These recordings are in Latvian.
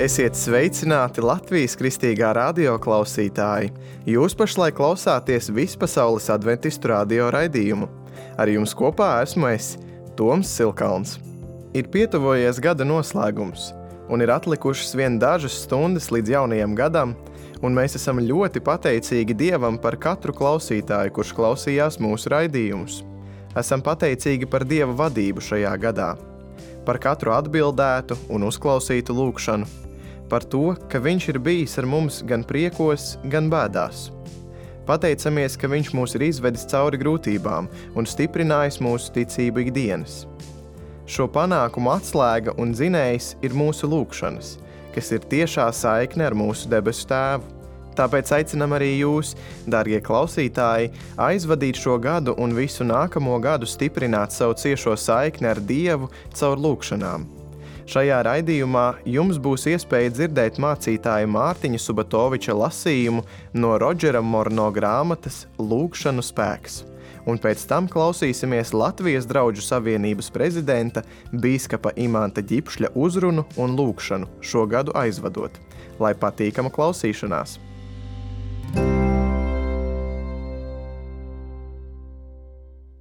Esiet sveicināti Latvijas kristīgā radio klausītāji! Jūs pašlaik klausāties Vispasaules adventistu radio raidījumu. Ar jums kopā esmu es, Toms Silkalns. Ir pietuvojies gada noslēgums, un ir atlikušas vien dažas stundas līdz jaunajam gadam, un mēs esam ļoti pateicīgi Dievam par katru klausītāju, kurš klausījās mūsu raidījumus. Esam pateicīgi par Dieva vadību šajā gadā, par katru atbildētu un uzklausītu lūgšanu, par to, ka Viņš ir bijis ar mums gan priekos, gan bēdās. Pateicamies, ka Viņš mūs ir izvedis cauri grūtībām un stiprinājis mūsu ticību ikdienas. Šo panākumu atslēga un dzinējs ir mūsu lūgšanas, kas ir tiešā saikne ar mūsu debesu Tēvu. Tāpēc aicinam arī jūs, dārgie klausītāji, aizvadīt šo gadu un visu nākamo gadu stiprināt savu ciešo saikni ar Dievu caur lūgšanām. Šajā raidījumā jums būs iespēja dzirdēt mācītāja Mārtiņa Subatoviča lasījumu no Rodžera Morno grāmatas Lūgšanu spēks. Un pēc tam klausīsimies Latvijas Drauģu savienības prezidenta bīskapa Imanta Ģipšļa uzrunu un lūgšanu šo gadu aizvadot. Lai patīkama klausīšanās!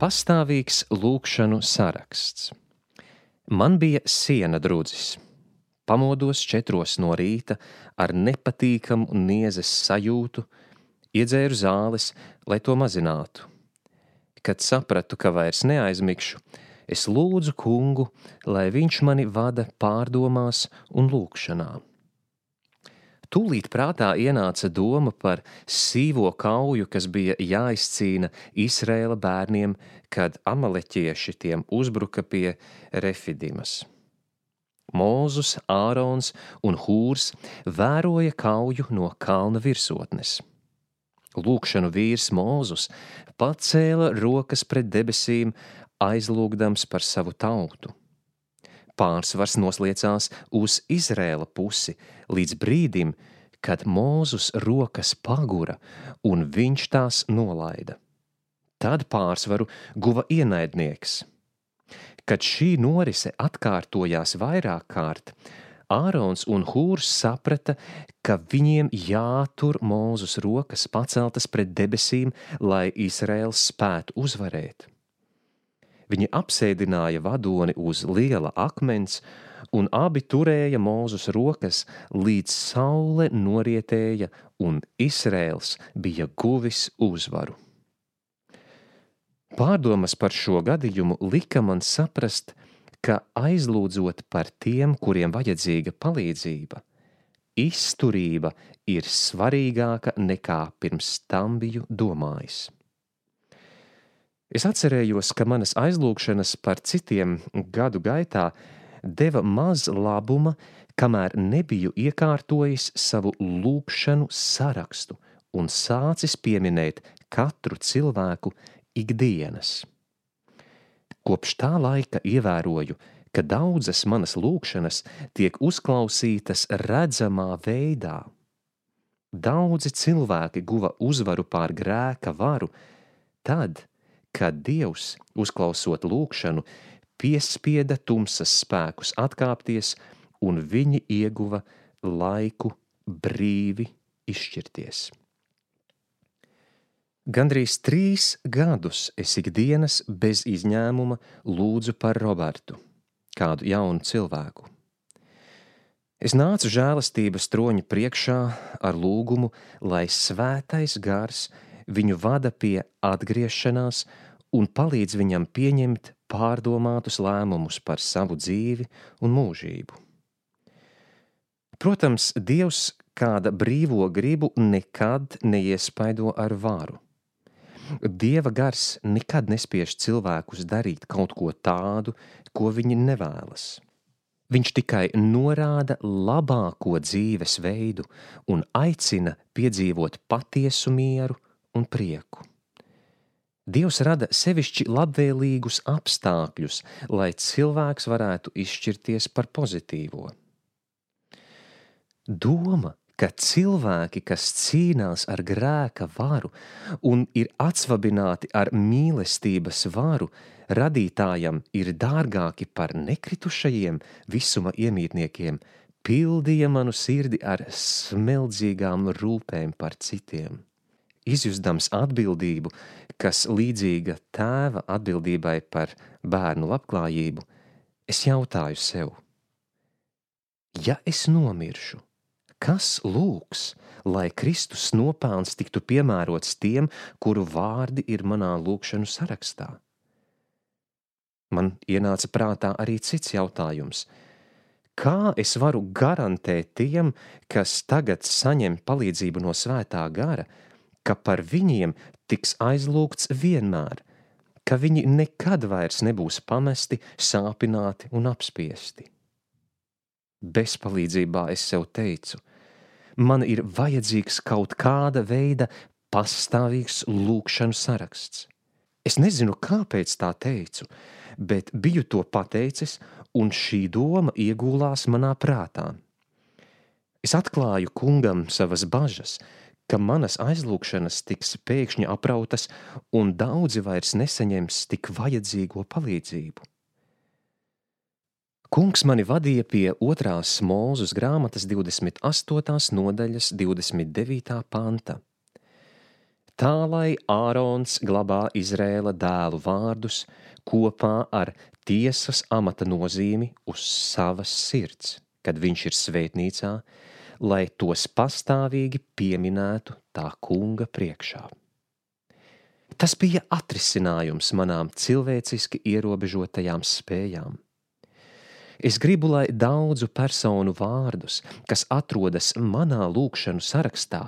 Pastāvīgs lūgšanu saraksts. Man bija siena drudzis. Pamodos 4 no rīta ar nepatīkamu niezes sajūtu, iedzēru zāles, lai to mazinātu. Kad sapratu, ka vairs neaizmigšu, es lūdzu kungu, lai viņš mani vada pārdomās un lūgšanā. Tūlīt prātā ienāca doma par sīvo kauju, kas bija jāizcīna Izraēla bērniem, kad amaleķieši tiem uzbruka pie Refidimas. Mūzus, Ārons un Hūrs vēroja kauju no kalna virsotnes. Lūgšanu vīrs Mūzus pacēla rokas pret debesīm, aizlūgdams par savu tautu. Pārsvars nosliecās uz Izraēla pusi līdz brīdim, kad Mūzus rokas pagura un viņš tās nolaida. Tad pārsvaru guva ienaidnieks. Kad šī norise atkārtojās vairāk kārt, Ārons un Hūrs saprata, ka viņiem jātur Mūzus rokas paceltas pret debesīm, lai Izraēls spētu uzvarēt. Viņi apsēdināja vadoni uz liela akmens, un abi turēja Mūzus rokas, līdz saule norietēja, un Izraēls bija guvis uzvaru. Pārdomas par šo gadījumu lika man saprast, ka aizlūdzot par tiem, kuriem vajadzīga palīdzība, izturība ir svarīgāka nekā pirms tam biju domājis. Es atcerējos, ka manas aizlūgšanas par citiem gadu gaitā deva maz labuma, kamēr nebiju iekārtojis savu lūgšanu sarakstu un sācis pieminēt katru cilvēku ikdienas. Kopš tā laika ievēroju, ka daudzas manas lūgšanas tiek uzklausītas redzamā veidā. Daudzi cilvēki guva uzvaru pār grēka varu tad, kad Dievs, uzklausot lūgšanu, piespieda tumsas spēkus atkāpties, un viņi ieguva laiku brīvi izšķirties. Gandrīz 3 gadus es ikdienas bez izņēmuma lūdzu par Robertu, kādu jaunu cilvēku. Es nācu žēlastības troņa priekšā ar lūgumu, lai svētais gars viņu vada pie atgriešanās un palīdz viņam pieņemt pārdomātus lēmumus par savu dzīvi un mūžību. Protams, Dievs kāda brīvo gribu nekad neiespaido ar varu. Dieva gars nekad nespiež cilvēkus darīt kaut ko tādu, ko viņi nevēlas. Viņš tikai norāda labāko dzīves veidu un aicina piedzīvot patiesu mieru un prieku. Dievs rada sevišķi labvēlīgus apstākļus, lai cilvēks varētu izšķirties par pozitīvo. Doma, ka cilvēki, kas cīnās ar grēka varu un ir atsvabināti ar mīlestības varu, radītājam ir dārgāki par nekritušajiem visuma iemītniekiem, pildīja manu sirdi ar smeldzīgām rūpēm par citiem. Izjustams atbildību, kas līdzīga tēva atbildībai par bērnu labklājību, es jautāju sev: ja es nomiršu, kas lūgs, lai Kristus nopelns tiktu piemērots tiem, kuru vārdi ir manā lūgšanu sarakstā? Man ienāca prātā arī cits jautājums: kā es varu garantēt tiem, kas tagad saņem palīdzību no Svētā gara, ka par viņiem tiks aizlūgts vienmēr, ka viņi nekad vairs nebūs pamesti, sāpināti un apspiesti? Bezpalīdzībā es sev teicu: man ir vajadzīgs kaut kāda veida pastāvīgs lūgšanu saraksts. Es nezinu, kāpēc tā teicu, bet biju to pateicis, un šī doma iegūlās manā prātā. Es atklāju kungam savas bažas, ka manas aizlūgšanas tiks pēkšņi aprautas, un daudzi vairs nesaņems tik vajadzīgo palīdzību. Kungs mani vadīja pie 2. Mūzes grāmatas 28. nodaļas 29. panta. Tā lai Ārons glabā Izrēla dēlu vārdus kopā ar tiesas amata nozīmi uz savas sirds, kad viņš ir svētnīcā, lai tos pastāvīgi pieminētu tā kunga priekšā. Tas bija atrisinājums manām cilvēciski ierobežotajām spējām. Es gribu, lai daudzu personu vārdus, kas atrodas manā lūgšanu sarakstā,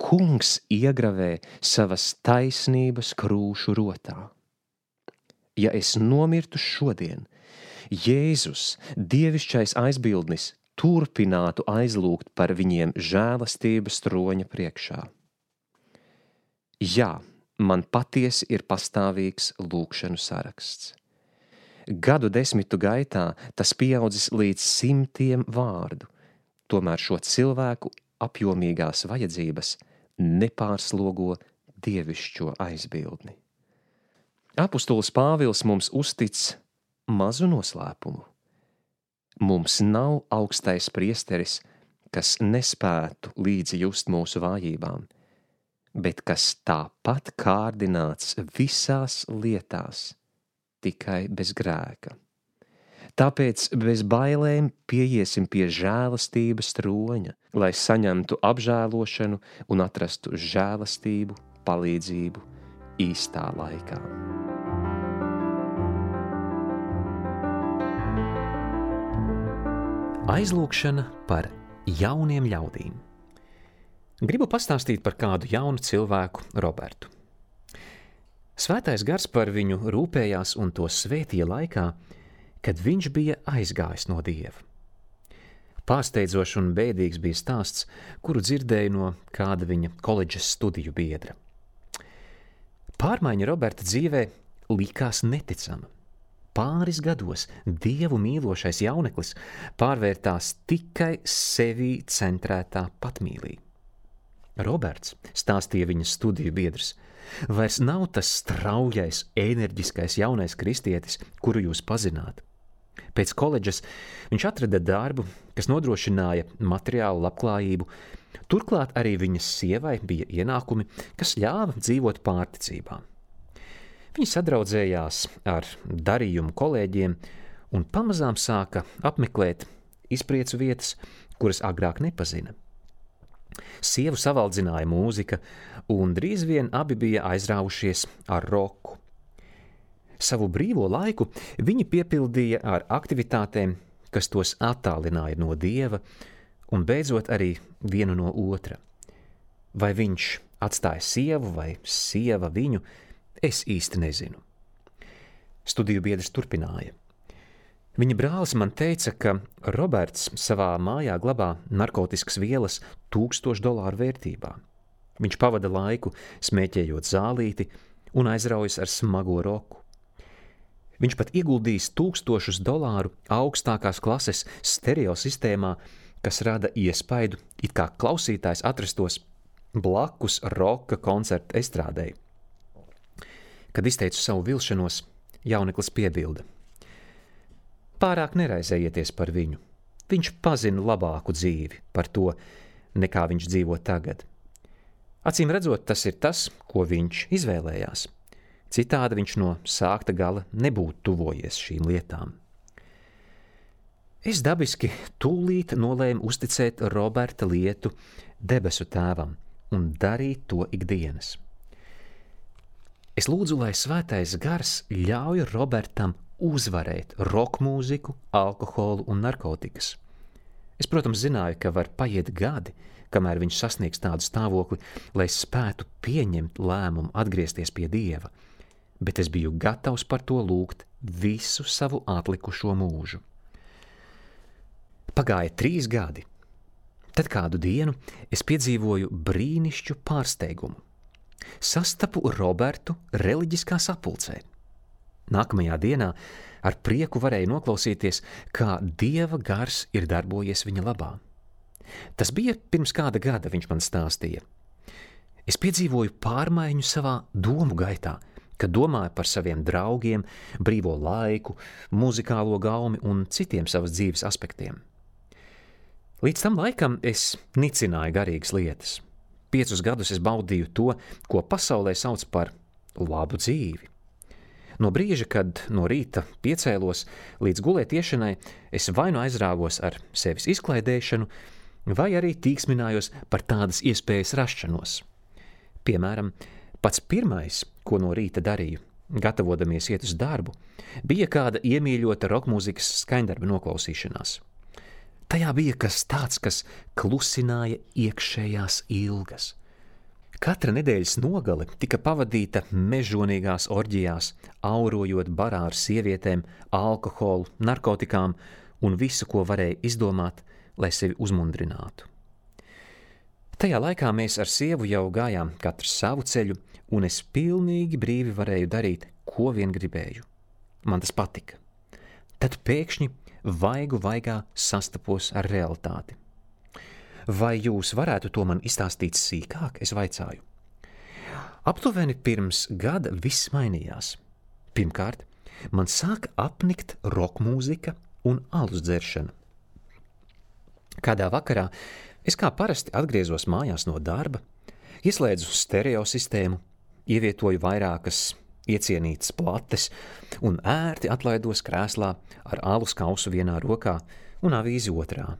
kungs iegravē savas taisnības krūšu rotā. Ja es nomirtu šodien, Jēzus, dievišķais aizbildnis, turpinātu aizlūgt par viņiem žēlastības troņa priekšā. Jā, man patiesi ir pastāvīgs lūgšanu saraksts. Gadu desmitu gaitā tas pieaudzis līdz 100 vārdu, tomēr šo cilvēku apjomīgās vajadzības nepārslogo dievišķo aizbildni. Apustulis Pāvils mums uztic mazu noslēpumu. Mums nav augstais priesteris, kas nespētu līdzi just mūsu vājībām, bet kas tāpat kārdināts visās lietās, tikai bez grēka. Tāpēc bez bailēm pieiesim pie žēlastības troņa, lai saņemtu apžēlošanu un atrastu žēlastību, palīdzību īstā laikā. Aizlūgšana par jauniem ļaudīm. Gribu pastāstīt par kādu jaunu cilvēku, Robertu. Svētais gars par viņu rūpējās un to svētīja laikā, kad viņš bija aizgājis no Dieva. Pārsteidzošs un bēdīgs bija stāsts, kuru dzirdēju no kāda viņa koledžas studiju biedra. Pārmaiņa Roberta dzīvē likās neticama. Pāris gados Dievu mīlošais jauneklis pārvērtās tikai sevī centrētā patmīlī. Roberts, stāstīja viņa studiju biedrs, vairs nav tas straujais, enerģiskais jaunais kristietis, kuru jūs pazināt. Pēc koledžas viņš atrada darbu, kas nodrošināja materiālu labklājību, turklāt arī viņas sievai bija ienākumi, kas ļāva dzīvot pārticībā. Viņi sadraudzējās ar darījumu kolēģiem un pamazām sāka apmeklēt izpriecu vietas, kuras agrāk nepazina. Sievu savaldzināja mūzika, un drīz vien abi bija aizrāvušies ar roku. Savu brīvo laiku viņi piepildīja ar aktivitātēm, kas tos attālināja no Dieva un beidzot arī vienu no otra. Vai viņš atstāja sievu vai sieva viņu, es īsti nezinu. Studiju biedrs turpināja. Viņa brālis man teica, ka Roberts savā mājā glabā narkotiskas vielas $1000 vērtībā. Viņš pavada laiku smēķējot zālīti un aizraujas ar smago roku. Viņš pat ieguldījis $1000 augstākās klases stereo sistēmā, kas rada iespaidu, it kā klausītājs atrastos blakus roka koncerta estrādei. Kad izteicu savu vilšanos, jauneklis piebilda: pārāk neraizējieties par viņu. viņš pazina labāku dzīvi par to, nekā viņš dzīvo tagad. Acīm redzot, tas ir tas, ko viņš izvēlējās. Citādi viņš no sākta gala nebūtu tuvojies šīm lietām. Es dabiski tūlīt nolēmu uzticēt Roberta lietu debesu tēvam un darīt to ikdienas. Es lūdzu, lai svētais gars ļauj Robertam uzvarēt rokmūziku, alkoholu un narkotikas. Es, protams, zināju, ka var paiet gadi, kamēr viņš sasniegs tādu stāvokli, lai spētu pieņemt lēmumu atgriezties pie Dieva, bet es biju gatavs par to lūgt visu savu atlikušo mūžu. Pagāja 3 gadi. Tad kādu dienu es piedzīvoju brīnišķu pārsteigumu. Sastapu Robertu reliģiskā sapulcē. Nākamajā dienā ar prieku varēju noklausīties, kā Dieva gars ir darbojies viņa labā. Tas bija pirms kāda gada, viņš man stāstīja. Es piedzīvoju pārmaiņu savā domu gaitā, kad domāju par saviem draugiem, brīvo laiku, muzikālo gaumi un citiem savas dzīves aspektiem. Līdz tam laikam es nicināju garīgas lietas. 5 gadus es baudīju to, ko pasaulē sauc par labu dzīvi. No brīža, kad no rīta piecēlos līdz gulēt iešanai, es vai nu aizrāvos ar sevis izklaidēšanu, vai arī tīksminājos par tādas iespējas rašanos. Piemēram, pats pirmais, ko no rīta darīju, gatavodamies iet uz darbu, bija kāda iemīļota rokmūzikas skaņdarba noklausīšanās. Tajā bija kas tāds, kas klusināja iekšējās ilgas. Katra nedēļas nogale tika pavadīta mežonīgās orģijās, aurojot barā ar sievietēm, alkoholu, narkotikām un visu, ko varēja izdomāt, lai sevi uzmundrinātu. Tajā laikā mēs ar sievu jau gājām katrs savu ceļu, un es pilnīgi brīvi varēju darīt, ko vien gribēju. Man tas patika. Tad pēkšņi vaigu vaigā sastapos ar realitāti. Vai jūs varētu to man izstāstīt sīkāk, es vaicāju. Aptuveni pirms gada viss mainījās. Pirmkārt, man sāka apnikt rokmūzika un alus dzeršana. Kādā vakarā es kā parasti atgriezos mājās no darba, ieslēdzu stereo sistēmu, ievietoju vairākas iecienītas plates un ērti atlaidos krēslā ar alus kausu vienā rokā un avīzi otrā.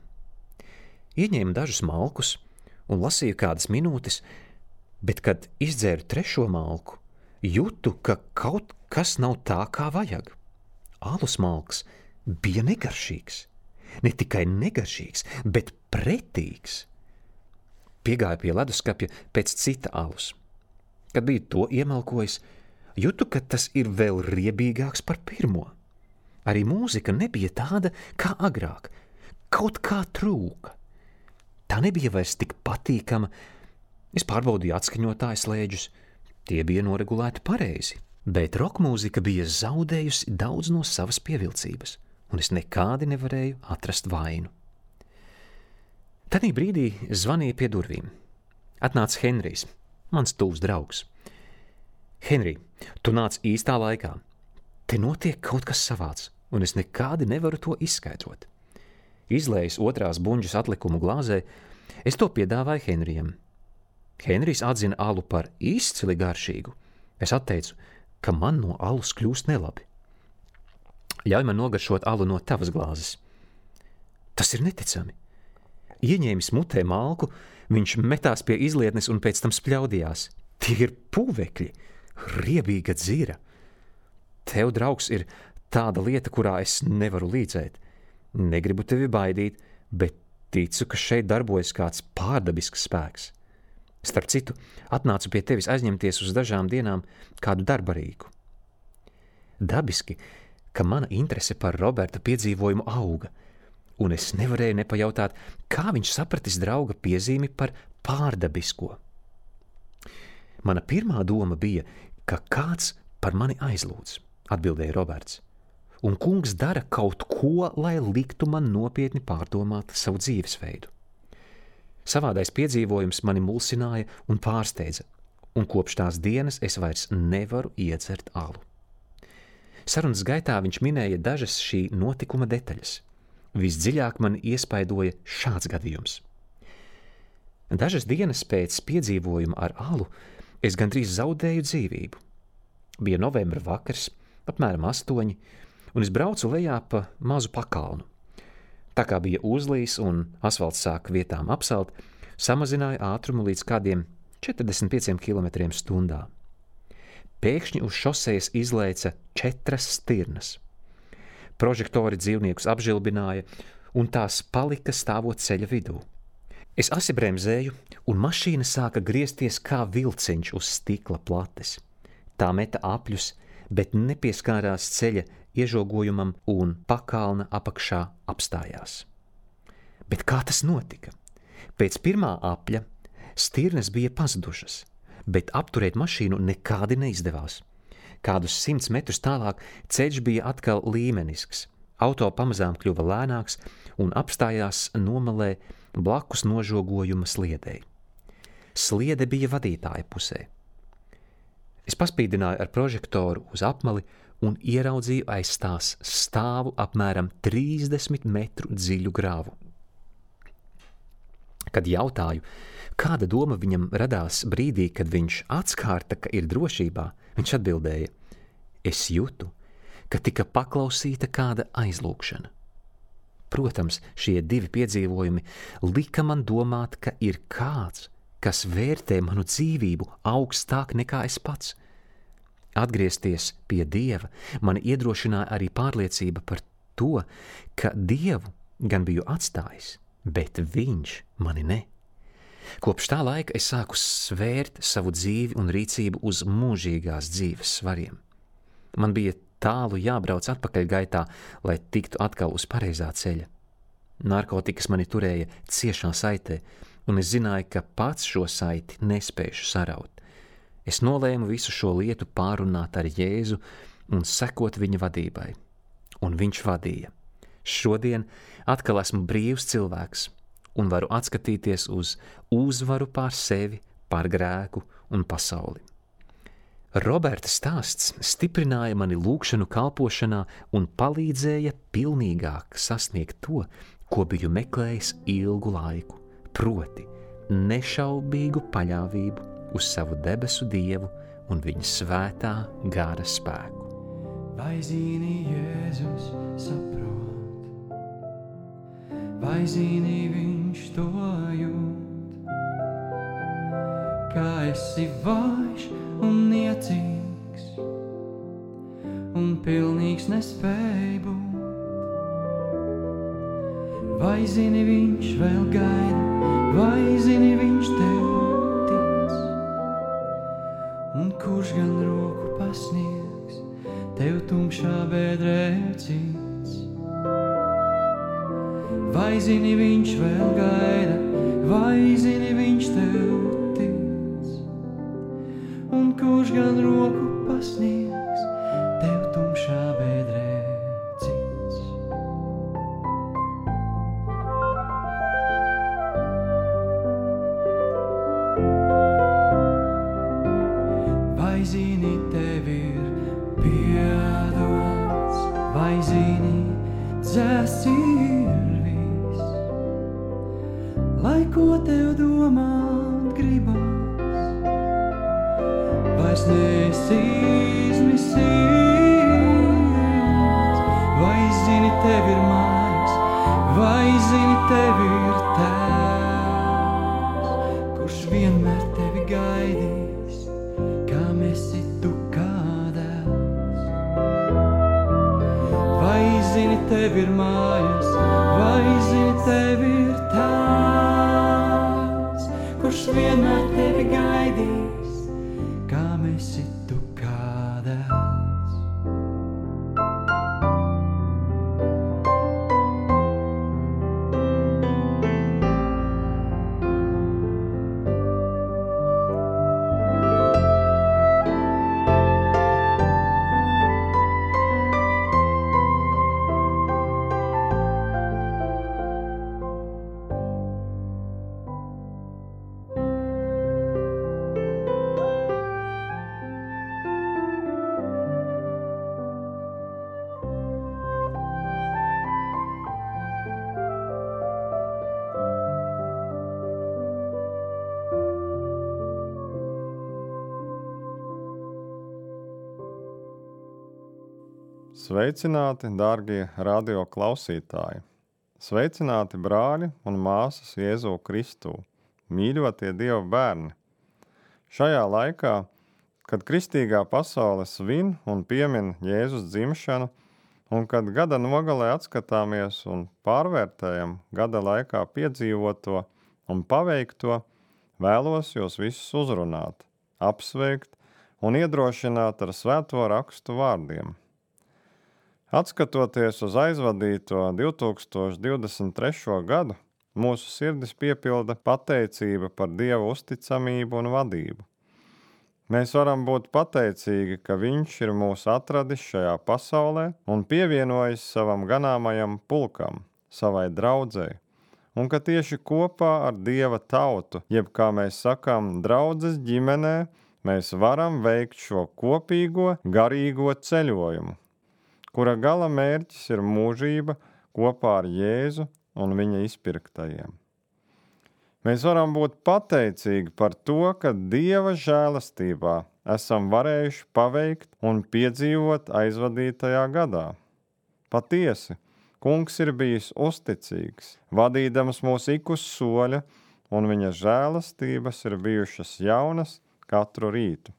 Ieņēmu dažus malkus un lasīju kādas minūtes, bet, kad izdzēru 3. malku, jūtu, ka kaut kas nav tā, kā vajag. Alus malks bija negaršīgs. Ne tikai negaršīgs, bet pretīgs. Piegāju pie leduskapja pēc cita alus. Kad biju to iemalkojis, jūtu, ka tas ir vēl riebīgāks par pirmo. Arī mūzika nebija tāda kā agrāk. Kaut kā trūka. Tā nebija vairs tik patīkama. Es pārbaudīju atskaņotāju slēdžus. Tie bija noregulēti pareizi, bet rokmūzika bija zaudējusi daudz no savas pievilcības, un es nekādi nevarēju atrast vainu. Tādī brīdī zvanīja pie durvīm. Atnāca Henrijs, mans tuvs draugs. Henrij, tu nāc īstā laikā. Te notiek kaut kas savāds, un es nekādi nevaru to izskaidrot. Izlējis 2. buņģas atlikumu glāzē, es to piedāvāju Henrijam. Henrijs atzina alu par izcili garšīgu. Es atteicu, ka man no alus kļūst nelabi. Ļauj man nogaršot alu no tavas glāzes. Tas ir neticami. Ieņēmis mutē malku, viņš metās pie izlietnes un pēc tam spļaudījās. Tie ir puvekļi, riebīga dzira. Tev, draugs, ir tāda lieta, kurā es nevaru līdzēt. Negribu tevi baidīt, bet ticu, ka šeit darbojas kāds pārdabisks spēks. Starp citu, atnācu pie tevis aizņemties uz dažām dienām kādu darba rīku. Dabiski, ka mana interese par Roberta piedzīvojumu auga, un es nevarēju nepajautāt, kā viņš sapratis drauga piezīmi par pārdabisko. Mana pirmā doma bija, ka kāds par mani aizlūdz, atbildēja Roberts, un kungs dara kaut ko, lai liktu man nopietni pārdomāt savu dzīvesveidu. Savādais piedzīvojums mani mulsināja un pārsteidza, un kopš tās dienas es vairs nevaru iedzert alu. Sarunas gaitā viņš minēja dažas šī notikuma detaļas, Visdziļāk man iespaidoja šāds gadījums. Dažas dienas pēc piedzīvojuma ar alu es gandrīz zaudēju dzīvību. Bija novembra vakars, apmēram 8, un es braucu lejā pa mazu pakalnu. Tā kā bija uzlīs un asfalts sāka vietām apsalt, samazināju ātrumu līdz kādiem 45 km/h. Pēkšņi uz šosejas izlaica 4 stirnas. Prožektori dzīvniekus apžilbināja, un tās palika stāvot ceļa vidū. Es asi bremzēju, un mašīna sāka griezties kā vilciņš uz stikla plates. Tā meta apļus, bet nepieskārās ceļa iežogojumam un pakalna apakšā apstājās. Bet kā tas notika? Pēc pirmā apļa stirnas bija pazudušas, bet apturēt mašīnu nekādi neizdevās. Kādus 100 metrus tālāk ceļš bija atkal līmenisks. Auto pamazām kļuva lēnāks un apstājās nomalē blakus nožogojuma sliedei. Sliede bija vadītāja pusē. Es paspīdināju ar prožektoru uz apmali un ieraudzīju aiz tās stāvu apmēram 30 metru dziļu grāvu. Kad jautāju, kāda doma viņam radās brīdī, kad viņš atskārta, ka ir drošībā, viņš atbildēja: es jūtu, ka tika paklausīta kāda aizlūgšana. Protams, šie 2 piedzīvojumi lika man domāt, ka ir kāds, kas vērtē manu dzīvību augstāk nekā es pats. Atgriezties pie Dieva mani iedrošināja arī pārliecība par to, ka Dievu gan biju atstājis, bet Viņš mani ne. Kopš tā laika es sāku svērt savu dzīvi un rīcību uz mūžīgās dzīves svariem. Man bija tālu jābrauc atpakaļ gaitā, lai tiktu atkal uz pareizā ceļa. Narkotikas mani turēja ciešā saitē, un es zināju, ka pats šo saiti nespēšu saraut. Es nolēmu visu šo lietu pārunāt ar Jēzu un sekot viņa vadībai. Un viņš vadīja. Šodien atkal esmu brīvs cilvēks un varu atskatīties uz uzvaru pār sevi, pār grēku un pasauli. Roberta stāsts stiprināja mani lūgšanu kalpošanā un palīdzēja pilnīgāk sasniegt to, ko biju meklējis ilgu laiku, proti nešaubīgu paļāvību uz savu debesu Dievu un viņa svētā gara spēku. Vai zini, Jēzus saprot, vai zini, viņš to jūt, kā esi vājš un niecīgs un pilnīgs nespēj būt. Vai zini, viņš vēl gaida, vai zini, viņš tev tic, un kurš gan roku pasniegs tev tumšā bedrē cits. Vai zini, viņš vēl gaida, vai zini, viņš tev tic, un kurš gan roku pasniegs tev tumšā bedrē cits. Vai zini, tev ir piedots, vai zini, dzēsts ir viss, lai ko tev domāt gribas, vairs neesi izmisīgs. Vai zini, tev ir mājas, vai zini, tev ir tēvs, kurš vienmēr tevi gaidīs, kam esi tu kā dēls. Vai zini, tev ir mājas, vai zini, tev ir tēvs, kurš vienmēr tevi gaidīs, kam esi tu kā dēls. Sveicināti, dārgie radio klausītāji! Sveicināti, brāļi un māsas Jēzu Kristū, mīļotie Dieva bērni! Šajā laikā, kad kristīgā pasaule svin un piemin Jēzus dzimšanu, un kad gada nogalē atskatāmies un pārvērtējam gada laikā piedzīvoto un paveikto, vēlos jūs visus uzrunāt, apsveikt un iedrošināt ar svēto rakstu vārdiem. Atskatoties uz aizvadīto 2023. gadu, mūsu sirdis piepilda pateicība par Dieva uzticamību un vadību. Mēs varam būt pateicīgi, ka Viņš ir mūs atradis šajā pasaulē un pievienojis savam ganāmajam pulkam, savai draudzei, un ka tieši kopā ar Dieva tautu, jeb kā mēs sakām, draudzes ģimenē, mēs varam veikt šo kopīgo garīgo ceļojumu, kura gala mērķis ir mūžība kopā ar Jēzu un viņa izpirktajiem. Mēs varam būt pateicīgi par to, ka Dieva žēlastībā esam varējuši paveikt un piedzīvot aizvadītajā gadā. Patiesi, Kungs ir bijis uzticīgs, vadīdams mūs ik uz soļa, un viņa žēlastības ir bijušas jaunas katru rītu.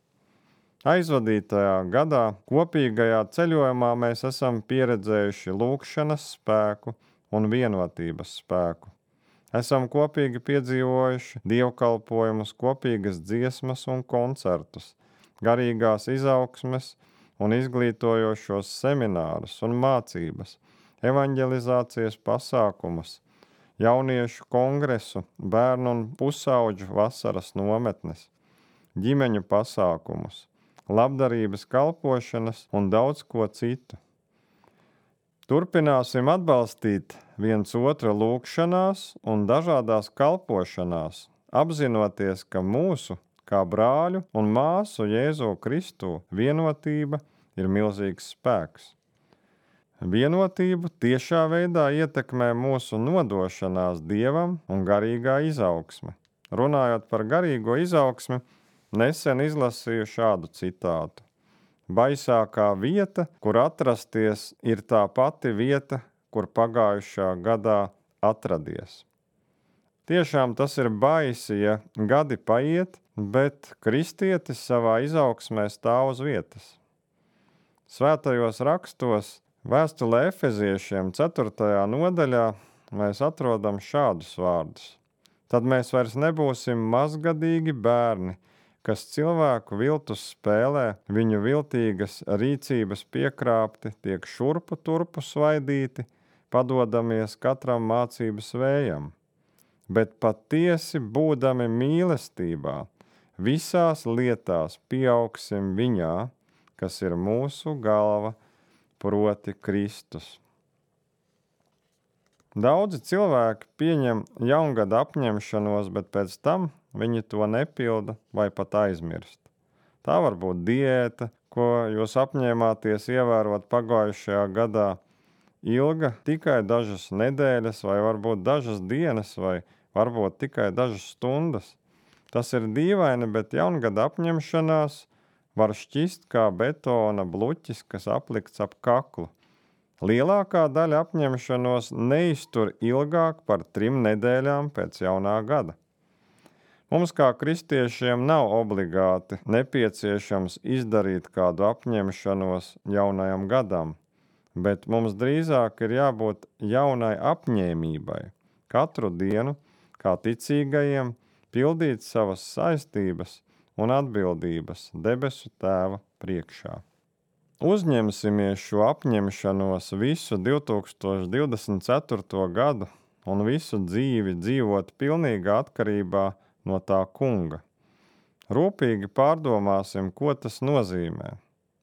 Aizvadītajā gadā kopīgajā ceļojumā mēs esam pieredzējuši lūgšanas spēku un vienotības spēku. Esam kopīgi piedzīvojuši dievkalpojumus, kopīgas dziesmas un koncertus, garīgās izaugsmes un izglītojošos seminārus un mācības, evanģelizācijas pasākumus, jauniešu kongresu, bērnu un pusauģu vasaras nometnes, ģimeņu pasākumus, labdarības kalpošanas un daudz ko citu. Turpināsim atbalstīt viens otru lūgšanās un dažādās kalpošanās, apzinoties, ka mūsu, kā brāļu un māsu Jēzu Kristū, vienotība ir milzīgs spēks. Vienotību tiešā veidā ietekmē mūsu nodošanās Dievam un garīgā izaugsme. Runājot par garīgo izaugsmi, nesen izlasīju šādu citātu. Baisākā vieta, kur atrasties, ir tā pati vieta, kur pagājušā gadā atradies. Tiešām tas ir baisi, ja gadi paiet, bet kristietis savā izaugsmē stāv uz vietas. Svētajos rakstos, vēstulē Efeziešiem 4. nodaļā, mēs atrodam šādus vārdus. Tad mēs vairs nebūsim mazgadīgi bērni, kas cilvēku viltus spēlē, viņu viltīgas rīcības piekrāpti, tiek šurpu turpu svaidīti, padodamies katram mācības vējam. Bet patiesi būdami mīlestībā, visās lietās pieaugsim viņā, kas ir mūsu galva, proti Kristus. Daudzi cilvēki pieņem jaungada apņemšanos, bet pēc tam viņi to nepilda vai pat aizmirst. Tā var būt diēta, ko jūs apņēmāties ievērot pagājušajā gadā, ilga tikai dažas nedēļas vai varbūt dažas dienas vai varbūt tikai dažas stundas. Tas ir dīvaini, bet jaungada apņemšanās var šķist kā betona bluķis, kas aplikts ap kaklu. Lielākā daļa apņemšanos neiztur ilgāk par 3 nedēļām pēc jaunā gada. Mums kā kristiešiem nav obligāti nepieciešams izdarīt kādu apņemšanos jaunajam gadam, bet mums drīzāk ir jābūt jaunai apņēmībai, katru dienu, kā ticīgajiem, pildīt savas saistības un atbildības debesu Tēva priekšā. Uzņemsimies šo apņemšanos visu 2024. gadu un visu dzīvi dzīvot pilnīgā atkarībā no tā Kunga. Rūpīgi pārdomāsim, ko tas nozīmē.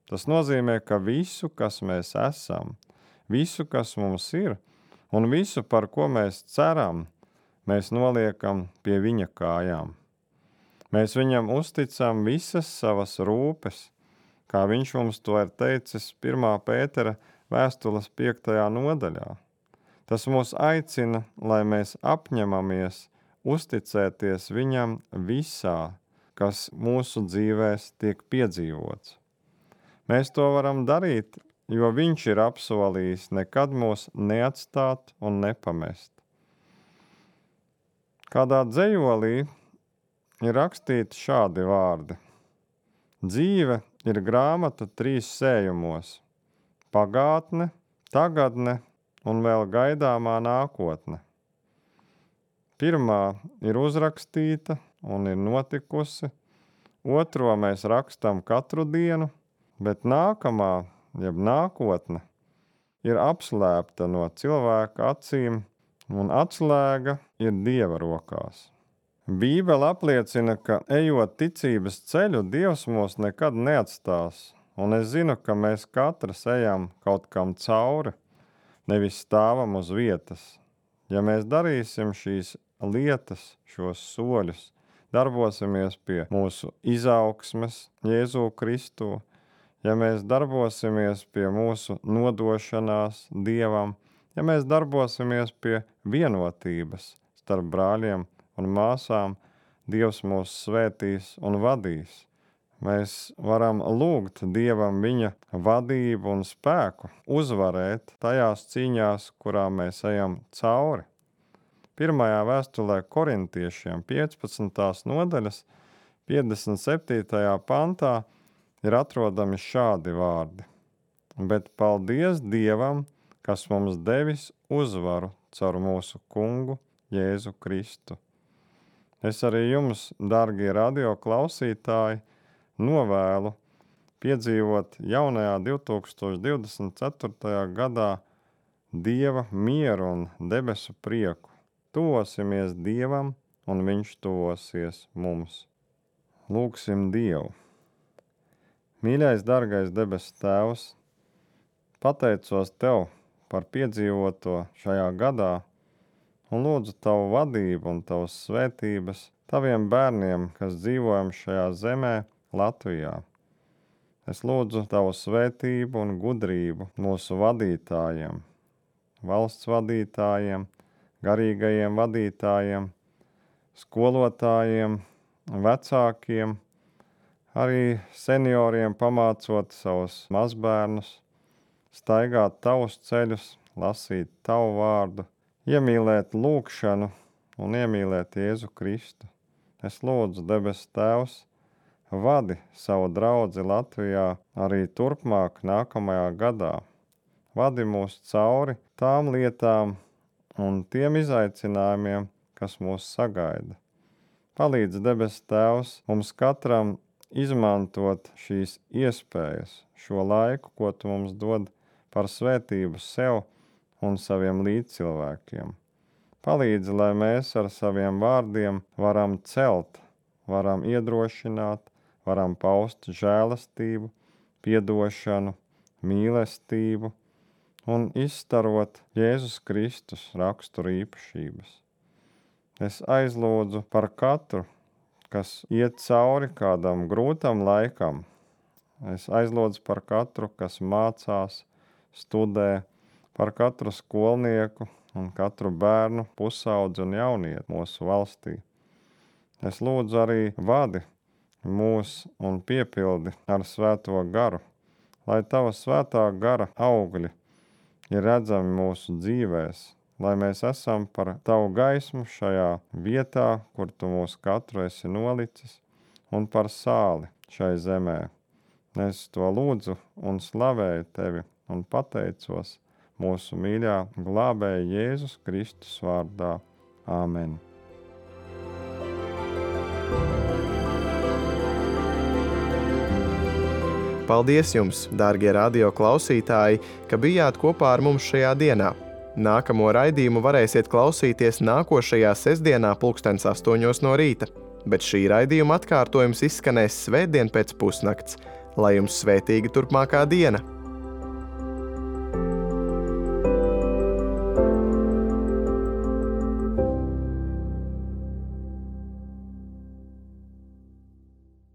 Tas nozīmē, ka visu, kas mēs esam, visu, kas mums ir, un visu, par ko mēs ceram, mēs noliekam pie viņa kājām. Mēs viņam uzticam visas savas rūpes, kā viņš mums to ir teicis 1. Pētera vēstules 5. nodaļā. Tas mūs aicina, lai mēs apņemamies uzticēties viņam visā, kas mūsu dzīvēs tiek piedzīvots. Mēs to varam darīt, jo viņš ir apsolījis nekad mūs neatstāt un nepamest. Kādā dzejolī ir rakstīti šādi vārdi. Dzīve ir grāmata 3 sējumos – pagātne, tagadne un vēl gaidāmā nākotne. Pirmā ir uzrakstīta un ir notikusi, otro mēs rakstam katru dienu, bet nākamā, jeb nākotne, ir apslēpta no cilvēka acīm un atslēga ir Dieva rokās. Bībele apliecina, ka ejot ticības ceļu, Dievs mūs nekad neatstās, un es zinu, ka mēs katrs ejam kaut kam cauri, nevis stāvam uz vietas. Ja mēs darīsim šīs lietas, šos soļus, darbosimies pie mūsu izaugsmes Jēzu Kristu, ja mēs darbosimies pie mūsu nodošanās Dievam, ja mēs darbosimies pie vienotības starp brāļiem un māsām, Dievs mūs svētīs un vadīs. Mēs varam lūgt Dievam viņa vadību un spēku, uzvarēt tajās cīņās, kurām mēs ejam cauri. Pirmajā vēstulē korintiešiem 15. nodaļas 57. pantā ir atrodami šādi vārdi. Bet paldies Dievam, kas mums devis uzvaru caur mūsu kungu Jēzu Kristu. Es arī jums, dargie radio klausītāji, novēlu piedzīvot jaunajā 2024. gadā Dieva mieru un debesu prieku. Tuvosimies Dievam, un viņš tuvosies mums. Lūgsim Dievu. Mīļais, dargais debesu Tēvs, pateicos Tev par piedzīvoto šajā gadā un lūdzu Tavu vadību un Tavas svētības Taviem bērniem, kas dzīvojam šajā zemē, Latvijā. Es lūdzu Tavu svētību un gudrību mūsu vadītājiem, valsts vadītājiem, garīgajiem vadītājiem, skolotājiem, vecākiem, arī senioriem pamācot savus mazbērnus, staigāt Tavus ceļus, lasīt Tavu vārdu, iemīlēt lūgšanu un iemīlēt Jēzu Kristu. Es lūdzu, debes Tēvs, vadi savu draudzi Latvijā arī turpmāk nākamajā gadā. Vadi mūs cauri tām lietām un tiem izaicinājumiem, kas mūs sagaida. Palīdz, debes Tēvs, mums katram izmantot šīs iespējas, šo laiku, ko Tu mums dod par svētību sev un saviem līdzcilvēkiem. Palīdz, lai mēs ar saviem vārdiem varam celt, varam iedrošināt, varam paust žēlastību, piedošanu, mīlestību un izstarot Jēzus Kristus raksturu īpašības. Es aizlūdzu par katru, kas iet cauri kādam grūtam laikam. Es aizlūdzu par katru, kas mācās, studē, par katru skolnieku un katru bērnu, pusaudzi un jaunieti mūsu valstī. Es lūdzu arī vadi mūs un piepildi ar svēto garu, lai Tava svētā gara augļi ir redzami mūsu dzīvēs, lai mēs esam par Tavu gaismu šajā vietā, kur Tu mūs katru esi nolicis, un par sāli šai zemē. Es to lūdzu un slavēju Tevi un pateicos mūsu mīļā glābēja Jēzus Kristus vārdā. Āmen. Paldies jums, dārgie radio klausītāji, ka bijāt kopā ar mums šajā dienā. Nākamo raidījumu varēsiet klausīties nākošajā sestdienā 8:00 no rīta, bet šī raidījuma atkārtojums izskanēs svētdien pēc pusnakts. Lai jums svētīga turpmākā diena!